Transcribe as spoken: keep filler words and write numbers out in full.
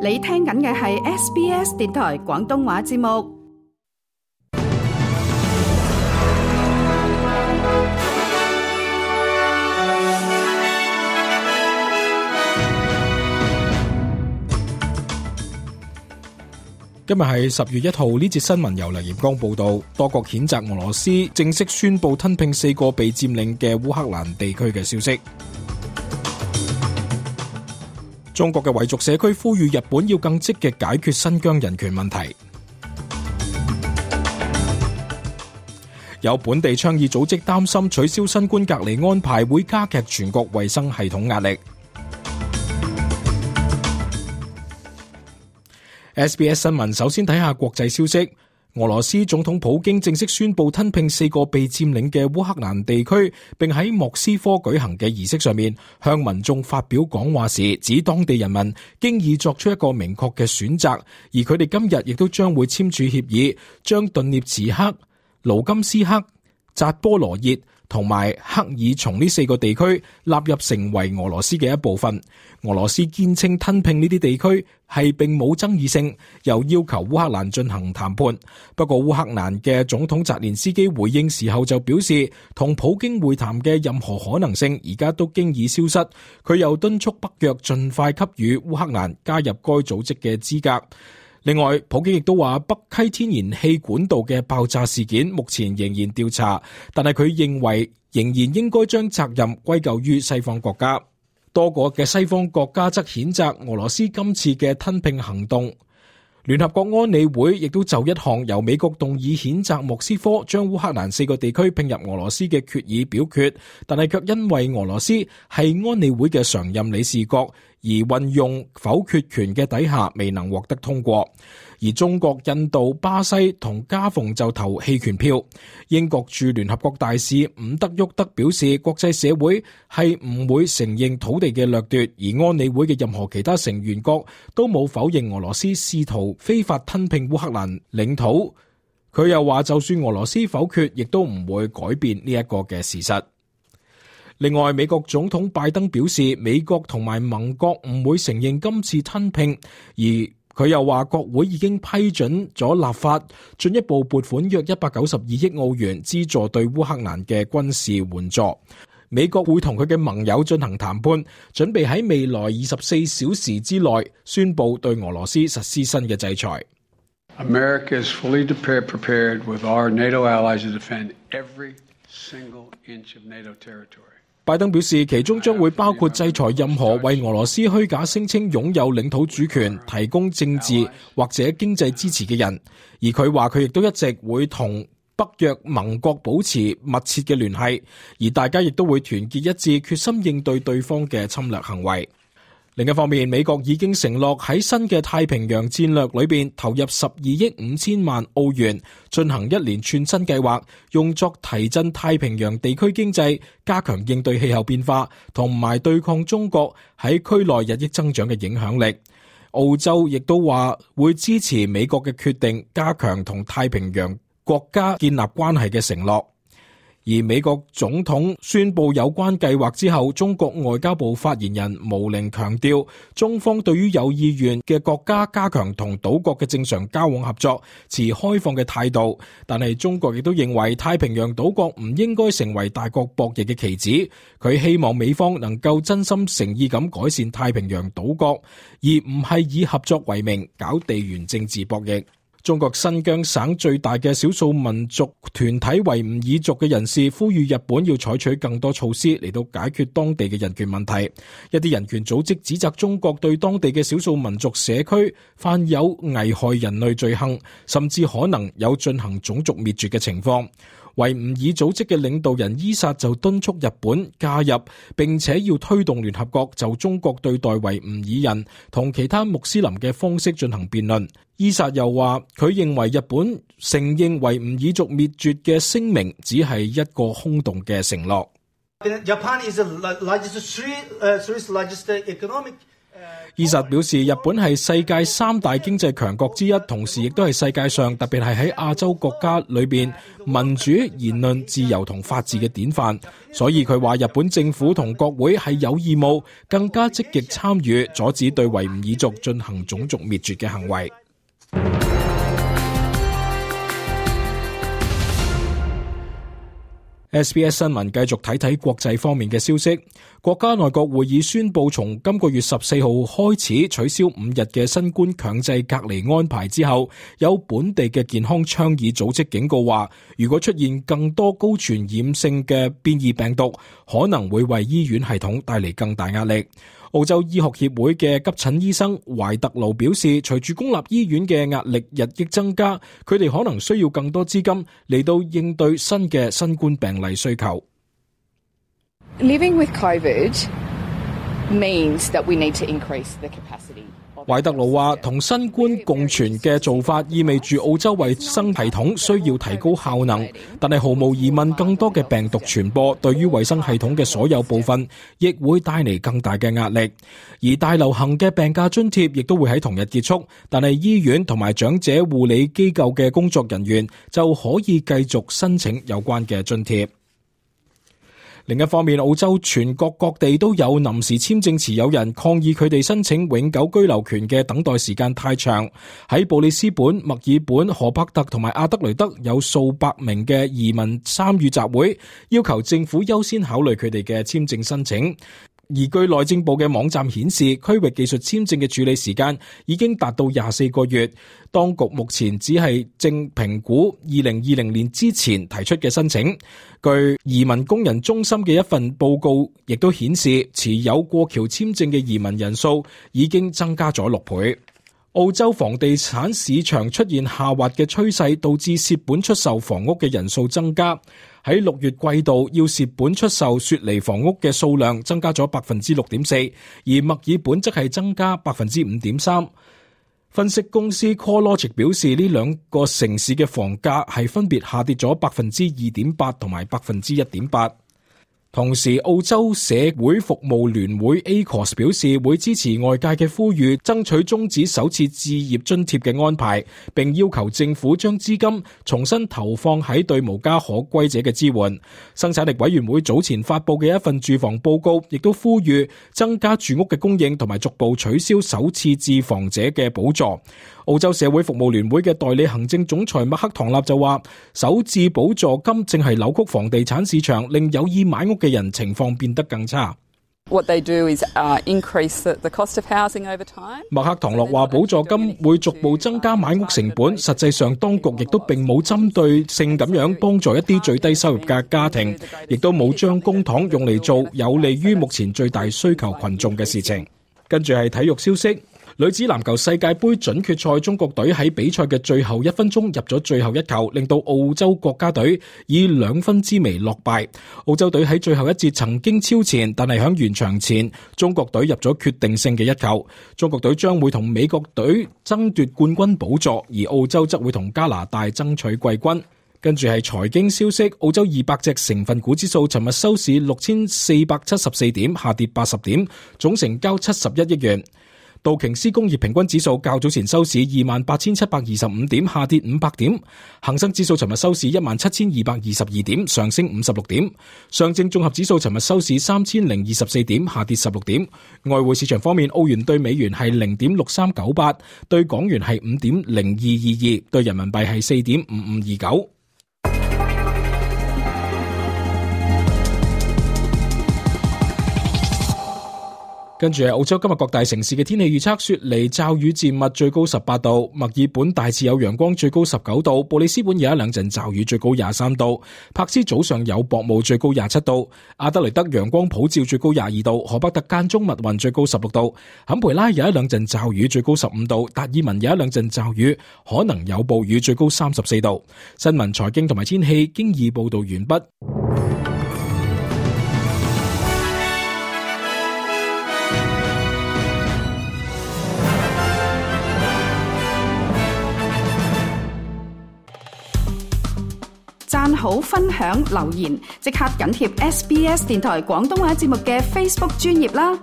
你聽緊嘅係 S B S 電台廣東話節目。今日係十月一號，呢節新聞由梁炎光報道。多國譴責俄羅斯正式宣布吞併四個被佔領嘅烏克蘭地區嘅消息。中國嘅維族社區呼籲日本要更積極解決新疆人權問題。有本地倡議組織擔心取消新冠隔離安排會加劇全國衛生系統壓力。S B S 新聞首先睇下國際消息。俄羅斯總統普京正式宣布吞併四個被佔領嘅烏克蘭地區，並喺莫斯科舉行嘅儀式上面向民眾發表講話時，指當地人民經已作出一個明確嘅選擇，而佢哋今日亦都將會簽署協議，將頓涅茨克、盧甘斯克、扎波羅熱同埋克爾松呢四個地區納入成為俄羅斯嘅一部分。俄羅斯堅稱吞併呢啲地區係並冇爭議性，又要求烏克蘭進行談判。不過烏克蘭嘅總統澤連斯基回應時候就表示，同普京會談嘅任何可能性而家都經已消失。佢又敦促北約盡快給予烏克蘭加入該組織嘅資格。另外，普京亦都話北溪天然氣管道嘅爆炸事件目前仍然調查，但係佢認為仍然應該將責任歸咎於西方國家。多個嘅西方國家則譴責俄羅斯今次嘅吞併行動。聯合國安理會亦都就一項由美國動議譴責莫斯科將烏克蘭四個地區併入俄羅斯嘅決議表決，但係卻因為俄羅斯係安理會嘅常任理事國而運用否決權嘅底下未能獲得通過。而中國、印度、巴西同加蓬就投棄權票。英國駐聯合國大使伍德沃德表示，國際社會係唔會承認土地嘅掠奪，而安理會嘅任何其他成員國都冇否認俄羅斯試圖非法吞併烏克蘭領土。佢又話，就算俄羅斯否決，亦都唔會改變呢一個嘅事實。另外，美國總統拜登表示，美國同埋盟國唔會承認今次吞併，而佢又話國會已經批准咗立法，進一步撥款約一百九十二億澳元資助對烏克蘭嘅軍事援助。美國會同佢嘅盟友進行談判，準備喺未來二十四小時之內宣布對俄羅斯實施新嘅制裁。America is fully prepared with our NATO allies to defend every single inch of NATO territory. 拜登表示，其中將會包括制裁任何為俄羅斯虛假聲稱擁有領土主權、提供政治或者經濟支持嘅人。而佢話佢亦都一直會同北約盟國保持密切嘅聯繫，而大家亦都會團結一致，決心應對對方嘅侵略行為。另一方面，美國已經承諾喺新嘅太平洋戰略裏邊投入十二億五千萬澳元，進行一連串新計劃，用作提振太平洋地區經濟，加強應對氣候變化，同埋對抗中國喺區內日益增長嘅影響力。澳洲亦都話會支持美國嘅決定，加強同太平洋國家建立關係嘅承諾。而美國總統宣布有關計劃之後，中國外交部發言人毛寧強調，中方對於有意願嘅國家加強同島國嘅正常交往合作，持開放嘅態度。但係中國亦都認為太平洋島國唔應該成為大國博弈嘅棋子。佢希望美方能夠真心誠意咁改善太平洋島國，而唔係以合作為名搞地緣政治博弈。中國新疆省最大嘅少數民族團體維吾爾族嘅人士呼籲日本要採取更多措施嚟到解決當地嘅人權問題。一啲人權組織指責中國對當地嘅少數民族社區犯有危害人類罪行，甚至可能有進行種族滅絕嘅情況。維吾爾組織嘅領導人伊薩就敦促日本加入，並且要推動聯合國就中國對待維吾爾人同其他穆斯林嘅方式進行辯論。伊薩又話，佢認為日本承認維吾爾族滅絕嘅聲明只係一個空洞嘅承諾。Japan is the largest, uh, third largest economic 伊薩表示，日本係世界三大經濟強國之一，同時亦都係世界上特別係喺亞洲國家裏邊民主、言論自由同法治嘅典範。所以佢話日本政府同國會係有義務更加積極參與，阻止對維吾爾族進行種族滅絕嘅行為。S B S 新聞繼續睇睇國際方面嘅消息。國家內閣會議宣布，從今個月十四號開始取消五日嘅新冠強制隔離安排之後，有本地嘅健康倡議組織警告話，如果出現更多高傳染性嘅變異病毒，可能會為醫院系統帶嚟更大壓力。澳洲醫學協會嘅急診醫生懷特勞表示，隨住公立醫院嘅壓力日益增加，佢哋可能需要更多資金嚟到應對新嘅新冠病例需求。Living with COVID means that we need to increase the capacity. 懷特勞話，同新冠共存嘅做法意味住澳洲衛生系統需要提高效能，但係毫無疑問，更多嘅病毒傳播對於衛生系統嘅所有部分亦會帶嚟更大嘅壓力。而大流行嘅病假津貼亦都會喺同日結束，但係醫院同埋長者護理機構嘅工作人員就可以繼續申請有關嘅津貼。另一方面，澳洲全國各地都有臨時簽證持有人抗議佢哋申請永久居留權嘅等待時間太長。喺布里斯本、墨爾本、荷伯特同埋阿德雷德有數百名嘅移民參與集會，要求政府優先考慮佢哋嘅簽證申請。而據內政部嘅網站顯示，區域技術簽證嘅處理時間已經達到廿四個月。當局目前只係正評估二零二零年之前提出嘅申請。據移民工人中心嘅一份報告亦都顯示，持有過橋簽證嘅移民人數已經增加咗六倍。澳洲房地產市場出現下滑嘅趨勢，導致蝕本出售房屋嘅人數增加。喺六月季度，要蝕本出售雪梨房屋嘅數量增加咗百分之六點四，而墨爾本則係增加百分之五點三。分析公司 CoreLogic 表示，呢兩個城市嘅房價係分別下跌咗百分之二點八同埋百分之一點八。同時，澳洲社會服務聯會 A C O S 表示會支持外界嘅呼籲，爭取終止首次置業津貼嘅安排，並要求政府將資金重新投放喺對無家可歸者嘅支援。生產力委員會早前發布嘅一份住房報告，亦都呼籲增加住屋嘅供應，同埋逐步取消首次置房者嘅補助。澳洲社會服務聯會嘅代理行政總裁麥克唐納就話，首置補助金正係扭曲房地產市場，令有意買屋嘅人情況變得更差。What they do is, uh, increase the cost of housing over time. 麥克唐諾話，補助金會逐步增加買屋成本，實際上當局亦都並冇針對性咁樣幫助一啲最低收入嘅家庭，亦都冇將公帑用嚟做有利於目前最大需求群眾嘅事情。跟住係體育消息。女子籃球世界盃準決賽，中國隊喺比賽嘅最後一分鐘入咗最後一球，令到澳洲國家隊以兩分之微落敗。澳洲隊喺最後一節曾經超前，但係響完場前，中國隊入咗決定性嘅一球。中國隊將會同美國隊爭奪冠軍寶座，而澳洲則會同加拿大爭取季軍。跟住係財經消息，澳洲二百隻成分股指數尋日收市六千四百七十四點，下跌八十點，總成交七十一億元。道瓊斯工業平均指數較早前收市二萬八千七百二十五點，下跌五百點。恒生指數尋日收市一萬七千二百二十二點，上升五十六點。上證綜合指數尋日收市三千零二十四點，下跌十六點。外匯市場方面，澳元對美元係零點六三九八，對港元係五點零二二二，對人民幣係四點五五二九。跟住係澳洲今日各大城市嘅天氣預測，雪梨驟雨漸密，最高十八度；墨爾本大致有陽光，最高十九度；布里斯本有一兩陣驟雨，最高廿三度；柏斯早上有薄霧，最高廿七度；阿德雷德陽光普照，最高廿二度；荷伯特間中密雲，最高十六度；坎培拉有一兩陣驟雨，最高十五度；達爾文有一兩陣驟雨，可能有暴雨，最高三十四度。新聞、財經同埋天氣經已報道完畢。讚好、分享、留言，即刻緊貼 S B S 電台廣東話節目嘅 Facebook 專頁啦！